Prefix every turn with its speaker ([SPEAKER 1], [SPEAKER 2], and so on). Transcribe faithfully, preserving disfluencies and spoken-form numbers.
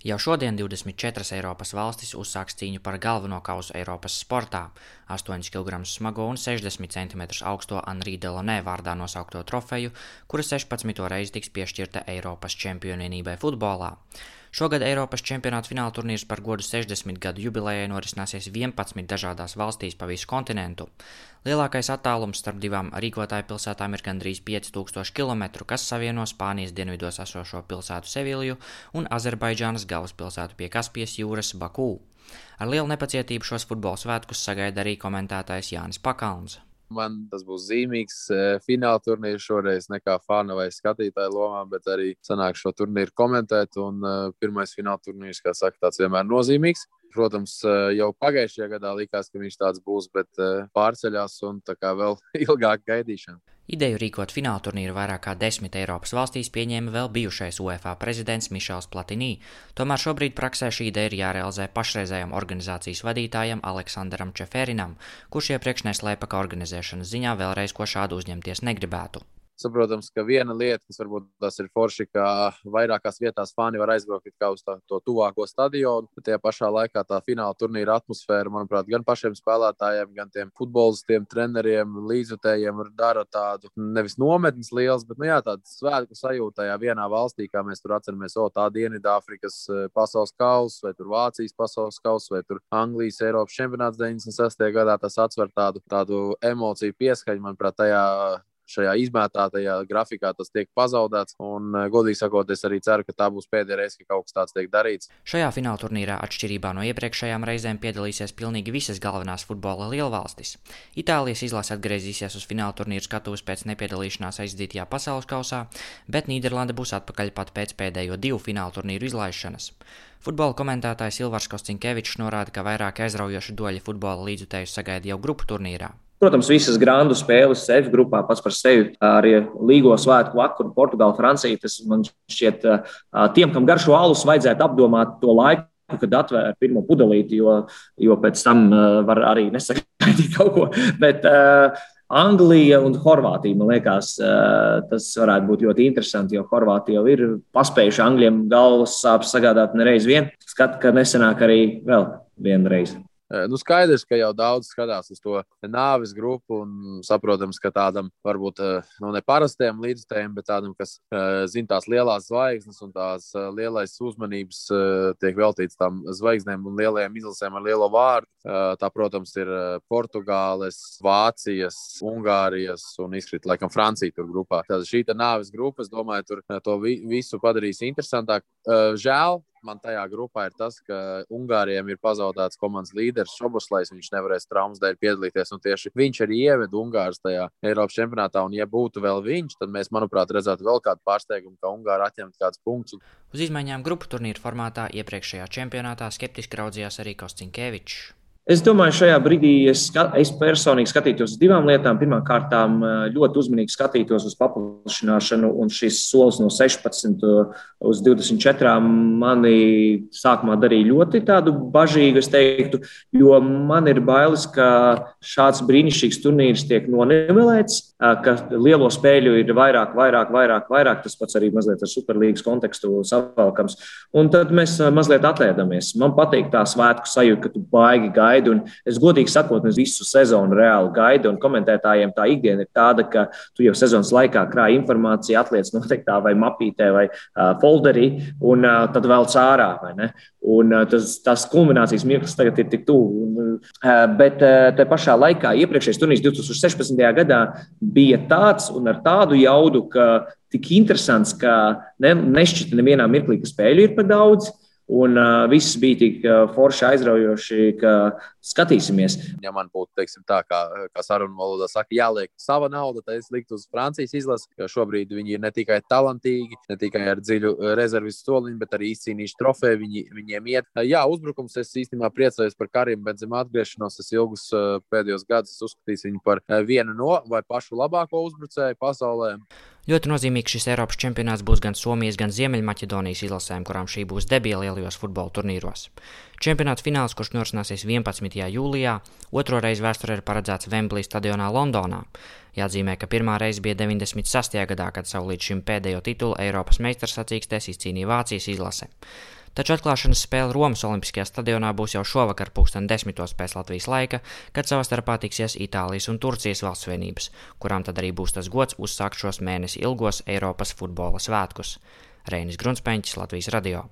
[SPEAKER 1] Jau šodien divdesmit četras Eiropas valstis uzsāks cīņu par galveno kausu Eiropas sportā. astoņus kilogramus smago un sešdesmit centimetrus augsto Henri Delaunay vārdā nosaukto trofeju, kura sešpadsmito reizi tiks piešķirta Eiropas čempionienībai futbolā. Šogad Eiropas čempionāta fināla turnīrs par godu sešdesmit gadu jubilejai norisināsies vienpadsmit dažādās valstīs pa visu kontinentu. Lielākais attālums starp divām rīkotāju pilsētām ir gandrīz pieci tūkstoši kilometru, kas savieno Spānijas dienvidos esošo pilsētu Sevilju un Azerbaidžānas galvaspilsētu pie Kaspijas jūras Baku. Ar lielu nepacietību šos futbola svētkus sagaida arī komentētājs Jānis Pakalns.
[SPEAKER 2] Man tas būs zīmīgs fināla turnīrs šoreiz ne kā fana vai skatītāja lomā, bet arī sanāk šo turnīru komentēt. Un uh, pirmais fināla turnīrs, kā saka, tāds vienmēr nozīmīgs. Protams, uh, jau pagājušajā gadā likās, ka viņš tāds būs, bet uh, pārceļās un tā kā vēl ilgāk gaidīšana.
[SPEAKER 1] Ideju rīkot fināla turnīru vairāk kā desmit Eiropas valstīs pieņēma vēl bijušais UEFA prezidents Mišels Platini. Tomēr šobrīd praksē šī ideja ir jārealizē pašreizējam organizācijas vadītājam Aleksandram Čeferinam, kurš iepriekš neslēpa, ka organizēšanas ziņā vēlreiz ko šādu uzņemties negribētu.
[SPEAKER 2] Saprotams, ka viena lieta, kas varbūt tas ir forši, ka vairākās vietās fani var aizbraukt kā uz tā, to tuvāko stadionu, bet tajā pašā laikā tā fināla turnīra atmosfēra, manuprāt, gan pašiem spēlētājiem, gan tiem futbolistiem, treneriem, līdzjutējiem dara tādu nevis nometnes liels, bet, nu jā, tādu svētku sajūtu tajā vienā valstī, kā mēs tur atceramies, o, tā Dienvidāfrikas pasaules kausa, vai tur Vācijas pasaules kausa, vai tur Anglijas Eiropas čempionāts deviņdesmit sestajā gadā, tas atsver tādu, tādu emociju pieskaņu, manuprāt, tajā šajā izmētātajā grafikā tas tiek pazaudēts, un, godīgi sakot, es arī ceru, ka tā būs pēdējā reize, ka kaut kas tāds tiek darīts.
[SPEAKER 1] Šajā fināla turnīrā atšķirībā no iepriekšējām reizēm piedalīsies pilnīgi visas galvenās futbola lielvalstis. Itālijas izlase atgriezīsies uz fināla turnīru skatuves pēc nepiedalīšanās aizdītajā pasaules kausā, bet Nīderlande būs atpakaļ pat pēc pēdējo divu fināla turnīru izlaišanas. Futbola komentētājs Ilvars Kostinkevičs norāda, ka vairāk aizraujoši doļi futbola līdzjutējus sagaida jau grupu turnīrā.
[SPEAKER 3] Protams, visas grandu spēles F grupā pats par sevi, arī līgo svētku vakaru, Portugāla, Francija, tas man šķiet tiem, kam garšo alus, vajadzētu apdomāt to laiku, kad atvēr pirmo pudelīti, jo, jo pēc tam var arī nesagaidīt kaut ko, bet uh, Anglija un Horvātija, man liekas, uh, tas varētu būt ļoti interesanti, jo Horvātija jau ir paspējuši Angļiem galvas sāpes sagādāt nereiz vien, skat, ka nesenāk arī vēl vienreiz.
[SPEAKER 2] Nu, skaidrs, ka jau daudz skatās uz to nāves grupu un saprotams, ka tādam varbūt nu, ne parastiem līdzstājiem, bet tādam, kas zina tās lielās zvaigznes un tās lielais uzmanības tiek veltīts tām zvaigznēm un lielajām izlasēm ar lielo vārdu. Tā, protams, ir Portugāles, Vācijas, Ungārijas un izkrīt laikam Francija tur grupā. Tāda šī tā nāves grupa, es domāju, tur to visu padarīs interesantāk. Žēl. Man tajā grupā ir tas, ka Ungārijiem ir pazaudēts komandas līderis Šoboslajs, viņš nevarēs traumas dēļ piedalīties, un tieši viņš arī ieveda Ungārus tajā Eiropas čempionātā, un ja būtu vēl viņš, tad mēs, manuprāt, redzētu vēl kādu pārsteigumu, ka Ungāri atņemt kādus punktus.
[SPEAKER 1] Uz izmaiņām grupu turnīru formātā iepriekšējā čempionātā skeptiski raudzījās arī Kostinkevičs.
[SPEAKER 3] Es domāju, šajā brīdī es, es personīgi skatītos uz divām lietām. Pirmkārt, ļoti uzmanīgi skatītos uz paplašināšanu, un šis solis no sešpadsmit uz divdesmit četrām mani sākumā darīja ļoti tādu bažīgu, es teiktu, jo man ir bailes, ka šāds brīnišķīgs turnīrs tiek nonivelēts, ka lielo spēļu ir vairāk, vairāk, vairāk, vairāk, tas pats arī mazliet ar Superlīgas kontekstu savalkams, un tad mēs mazliet atēdamies. Man patīk tā svētku sajūta, ka tu baigi gaidi. Un es godīgi sakot, es visu sezonu reāli gaidu, un komentētājiem tā ikdiena ir tāda, ka tu jau sezonas laikā krāji informāciju, atliec noteiktā vai mapītē vai uh, folderī, un uh, tad vēl cārā, vai ne? Un uh, tas, tas kulminācijas mirklis tagad ir tik tuvu. Uh, bet uh, te pašā laikā iepriekšējais turnīrs divtūkstoš sešpadsmitajā gadā bija tāds un ar tādu jaudu, ka tik interesants, ka ne, nešķita nevienā mirklī, ka spēļu ir par daudz. Un uh, viss bija tik uh, forši aizraujoši, ka skatīsimies.
[SPEAKER 2] Ja man būtu, teiksim tā, kā, kā sarunu valodā saka, jāliek sava nauda, tad es liktu uz Francijas izlasi, jo šobrīd viņi ir ne tikai talantīgi, ne tikai ar dziļu rezervistu soliņu, bet arī izcīnījuši trofeju, viņi, viņiem iet. Jā, uzbrukums, es īstenībā priecājos par Karimu Benzema atgriešanos, es ilgus uh, pēdējos gadus uzskatīju viņu par uh, vienu no vai pašu labāko uzbrucēju pasaulē.
[SPEAKER 1] Ļoti nozīmīgs šis Eiropas čempionāts būs gan Somijas, gan Ziemeļmaķedonijas izlasēm, kurām šī būs debija lielajos futbola turnīros. Čempionāts fināls, kurš norisināsies vienpadsmitajā jūlijā, otro reizi vēsturē ir paredzēts Wembley stadionā Londonā. Jāatzīmē, ka pirmā reize bija deviņdesmit sastajā gadā, kad savu līdz šim pēdējo titulu Eiropas meistars sacīkstēs izcīnīja Vācijas izlase. Taču atklāšanas spēle Romas Olimpiskajā stadionā būs jau šovakar pulksten desmitos pēc Latvijas laika, kad savā starpā tiksies Itālijas un Turcijas valstsvienības, kurām tad arī būs tas gods uzsākt šos mēnesi ilgos Eiropas futbola svētkus. Reinis Grunspeņķis, Latvijas radio.